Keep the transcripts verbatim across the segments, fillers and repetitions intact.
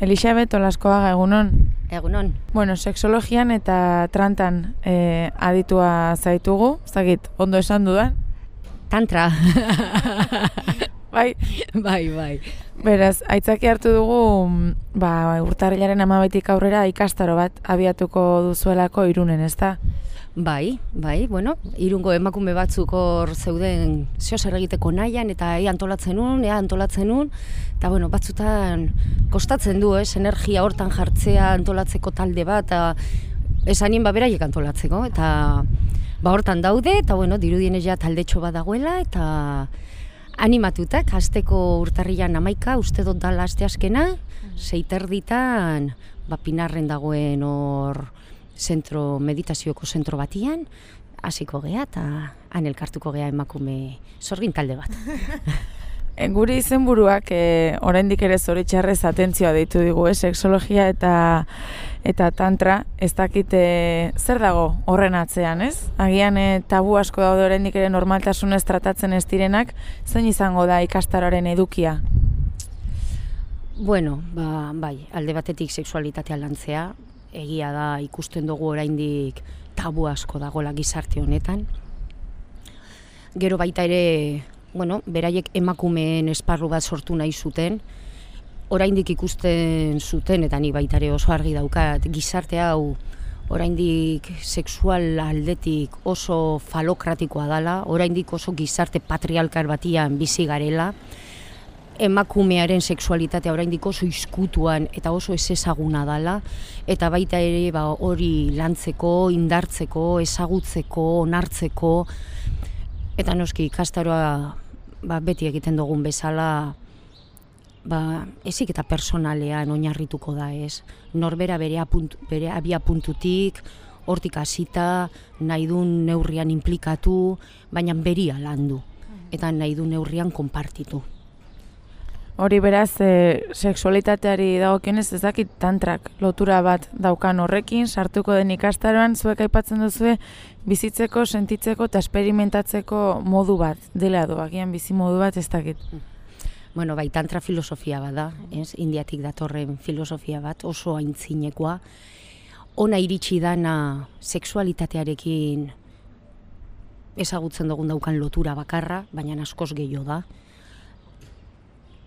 Elisabet Olaskoaga, egunon. Egunon. Bueno, sexologian eta trantan eh, aditua zaitugu, ez dakit, ondo esan dudan? Tantra. Bai, bai, bai. Beraz, aitzaki hartu dugu, ba, urtarrilaren hamabitik aurrera ikastaro bat abiatuko duzuelako Irunen, ezta? Bai, bai, bueno, Irungo emakume batzuk hor zeuden zeo zer egiteko nahian, eta ea antolatzen nun, ea antolatzen nun, eta bueno, batzutan kostatzen du, ez, energia hortan jartzea antolatzeko talde bat, eta esanien ba beraiek antolatzeko, eta ba hortan daude, eta bueno, dirudienez ja taldetxo bat dagoela, eta animatutak, hasteko urtarrilan hamaika, uste dut dala asteazkena, seiterditan, ba Pinarren dagoen hor, zentro, meditazioko zentro batian, hasiko gea eta han elkartuko gea emakume sorgin talde bat. Guri izenburuak e, oraindik ere zoritxarrez atentzioa deitu digu, eh? Sexologia eta eta tantra, ez dakite zer dago horren atzean, ez? Agian e, tabu asko daude oraindik ere normaltasunez tratatzen ez direnak, zein izango da ikastaroaren edukia? Bueno, ba, bai, alde batetik sexualitatea lantzea, egia da ikusten dugu oraindik tabu asko dagoela gizarte honetan. Gero baita ere, bueno, beraiek emakumeen esparru bat sortu nahi zuten, oraindik ikusten zuten, eta ni baita ere oso argi daukat, gizarte hau oraindik sexual aldetik oso falokratikoa dela, oraindik oso gizarte patriarkal batian bizi garela, emakumearen sexualitatea oraindik oso izkutuan eta oso ezezaguna dela, eta baita ere ba, hori lantzeko, indartzeko, ezagutzeko, onartzeko, eta noski ikastaroa ba, beti egiten dugun bezala, ba, ezik eta personalean oinarrituko da, ez? Norbera bere, apunt, bere abia puntutik, hortik hasita, nahi duen neurrian inplikatu, baina beria landu, eta nahi duen neurrian konpartitu. Hori beraz, e, sexualitateari dagokionez ez dakit tantrak lotura bat daukan horrekin, sartuko den ikastaroan, zuek aipatzen duzue bizitzeko, sentitzeko eta esperimentatzeko modu bat, dela du, agian bizi modu bat ez dakit. Bueno, bai, tantra filosofia bat da, ez? Indiatik datorren filosofia bat, oso aintzinekoa. Ona iritsi dana sexualitatearekin ezagutzen dugun daukan lotura bakarra, baina askoz gehiago da.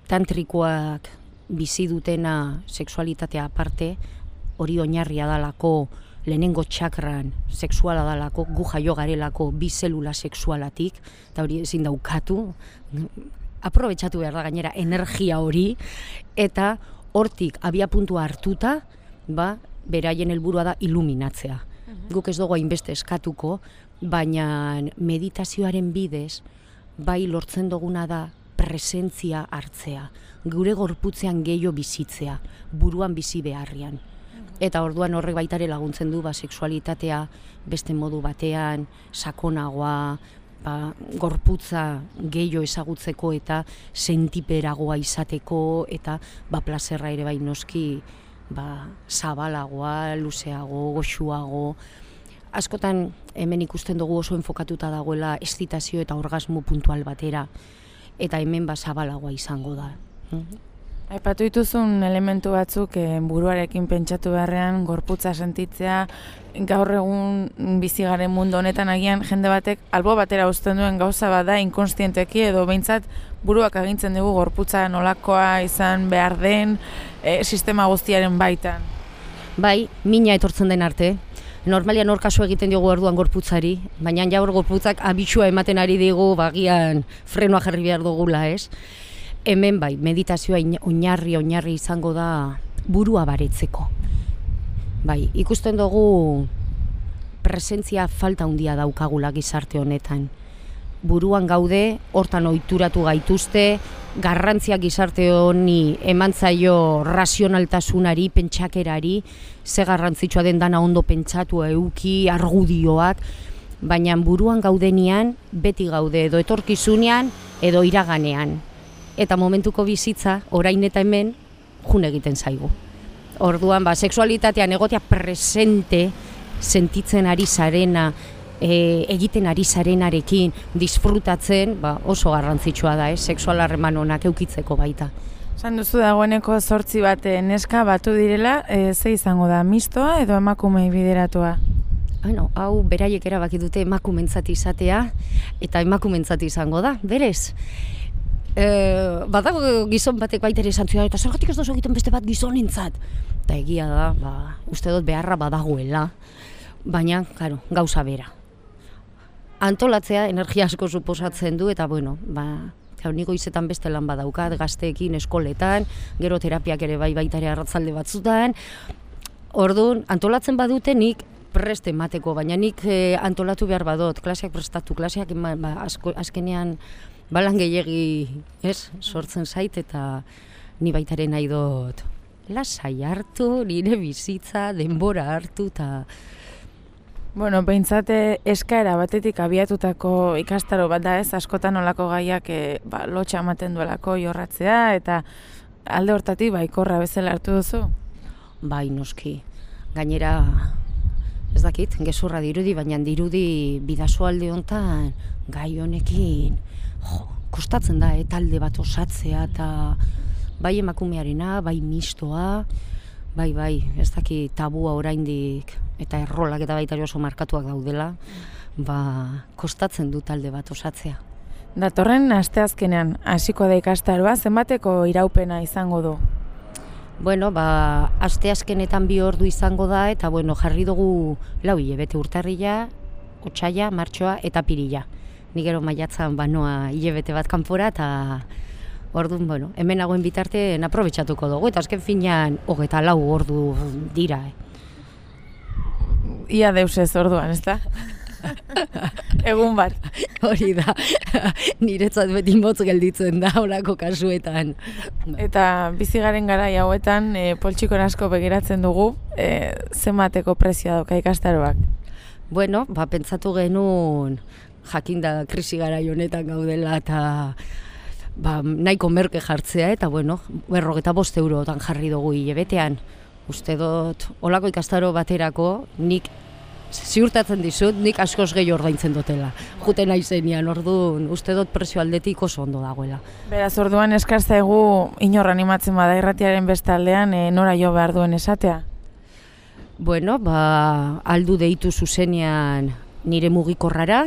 Tantrikoak bizi dutena sexualitatea aparte, hori oinarria dalako, lehenengo txakran sexuala dalako, gu jaio garelako bi zelula sexualatik, eta hori ezin daukatu, aprobetxatu behar da gainera energia hori, eta hortik abia puntua hartuta, ba, beraien helburua da iluminatzea. Guk ez dugu hainbeste eskatuko, baina meditazioaren bidez, bai lortzen duguna da presentzia hartzea, gure gorputzean gehiago bizitzea, buruan bizi beharrian. Eta orduan horrek baitare laguntzen du ba, sexualitatea beste modu batean, sakonagoa, ba, gorputza gehiago ezagutzeko eta sentiperagoa izateko, eta ba, plazerra ere bai noski ba, zabalagoa, luzeago, goxuago. Askotan hemen ikusten dugu oso enfokatuta dagoela excitazio eta orgasmo puntual batera, eta hemen ba zabalagoa izango da. Aipatu dituzun elementu batzuk eh, buruarekin pentsatu beharrean, gorputza sentitzea, gaur egun bizi garen mundu honetan agian jende batek albo batera uzten duen gauza bat da inkonstienteki, edo behintzat buruak agintzen dugu gorputza nolakoa izan behar den eh, sistema guztiaren baitan. Bai, mina etortzen den arte. Normalian hor kasu egiten diogu orduan gorputzari, baina ja hor gorputzak abitsua ematen ari digu, bagian frenoa jarri behar dugula, ez? Hemen bai, meditazioa oinarri oinarri izango da burua baretzeko. Bai, ikusten dugu presentzia falta handia daukagula gizarte honetan. Buruan gaude, hortan ohituratu gaituzte, garrantzia gizarte honi eman zaio razionaltasunari, pentsakerari, ze garrantzitsua den dana ondo pentsatu euki, argudioak, baina buruan gaudenian beti gaude edo etorkizunean edo iraganean. Eta momentuko bizitza, orain eta hemen, jun egiten zaigu. Orduan, ba, sexualitatean egotea presente sentitzen ari zarena, E, egiten ari zarenarekin disfrutatzen ba, oso garrantzitsua da, eh? Sexual harreman onak eukitzeko baita. Esan duzu dagoeneko zortzi bat neska batu direla, e, ze izango da, mistoa edo emakumei bideratua? Bueno, hau beraiek erabaki dute emakumentzat izatea, eta emakumentzat izango da, berez. E, badago gizon batek baitere esan zuen, eta zergatik ez dozu egiten beste bat gizonentzat. Eta egia da, ba, uste dut beharra badagoela, baina, claro, gauza bera. Antolatzea energia asko suposatzen du, eta bueno, ba, nik goizetan beste lan badaukat, gazteekin, eskoletan, gero terapiak ere bai baitare arratzalde batzutan. Orduan, antolatzen badute nik preste emateko, baina nik eh, antolatu behar badot, klaseak prestatu, klaseak ema, ba, asko, azkenean balan gehiegi, ez, sortzen zait, eta ni baitare nahi dut lasai hartu, nire bizitza, denbora hartu, eta Bueno, behintzate eskaera batetik abiatutako ikastaro bat da ez, askotan olako gaiak e, ba, lotxa ematen duelako jorratzea, eta alde hortatik baikorra bezala hartu duzu? Bai, noski. Gainera, ez dakit, gezurra dirudi, baina dirudi bidazo alde honetan gai honekin jo, kostatzen da, eh, talde bat osatzea, eta bai emakumearena, bai mistoa, bai, bai, ez dakit tabua oraindik eta errolak eta baita oso markatuak daudela, ba, kostatzen du talde bat osatzea. Datorren asteazkenean hasiko da ikastaroa, zenbateko iraupena izango du? Bueno, ba, asteazkenetan bi ordu izango da, eta bueno, jarri dugu lau hilabete, urtarrila, otsaila, martxoa eta pirila. Ni gero maiatzan banoa hilabete bat kanpora, eta orduan, bueno, hemen nagoen bitarte aprobetxatuko dugu, eta azken finean hogeita lau ordu dira. Eh. Ia deus ez orduan, ez da? Egun bat. Hori da, niretzat beti motz gelditzen da horako kasuetan. Eta bizigaren garai hauetan, e, poltsikon asko begiratzen dugu, e, zenbateko prezioa dauka ikastaroak? Bueno, ba, pentsatu genuen jakinda krisi garai honetan gaudela, eta ba, nahiko merke jartzea, eta bueno, berrogeta bost eurotan jarri dugu hilabetean. Uste dut, olako ikastaro baterako, nik ziurtatzen dizut, nik askoz gehi ordaintzen dutela. Juten naizenean, orduan, uste dut prezio aldetik oso ondo dagoela. Beraz, orduan eskartza egu inor animatzen bada irratiaren bestaldean, e, nora jo behar duen esatea? Bueno, ba, aldu deitu zuzenean nire mugikorrara,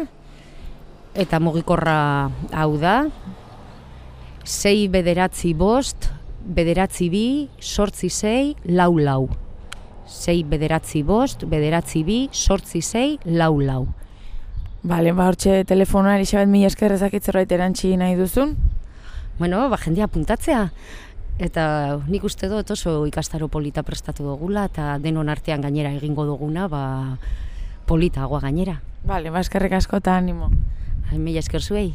eta mugikorra hau da, sei bederatzi bost, bederatzi bi, sortzi sei, lau lau. Sei bederatzi bost, bederatzi bi, sortzi sei, lau lau. Bale, ba hortxe telefonoa Elisabet mila esker ezakitzerbait erantzi nahi duzun? Bueno, ba jendea apuntatzea. Eta nik uste dut oso ikastaro polita prestatu dugula, eta denon artean gainera egingo duguna, ba politagoa gainera. Bale, ba eskerrik asko eta animo. Mila esker zuei.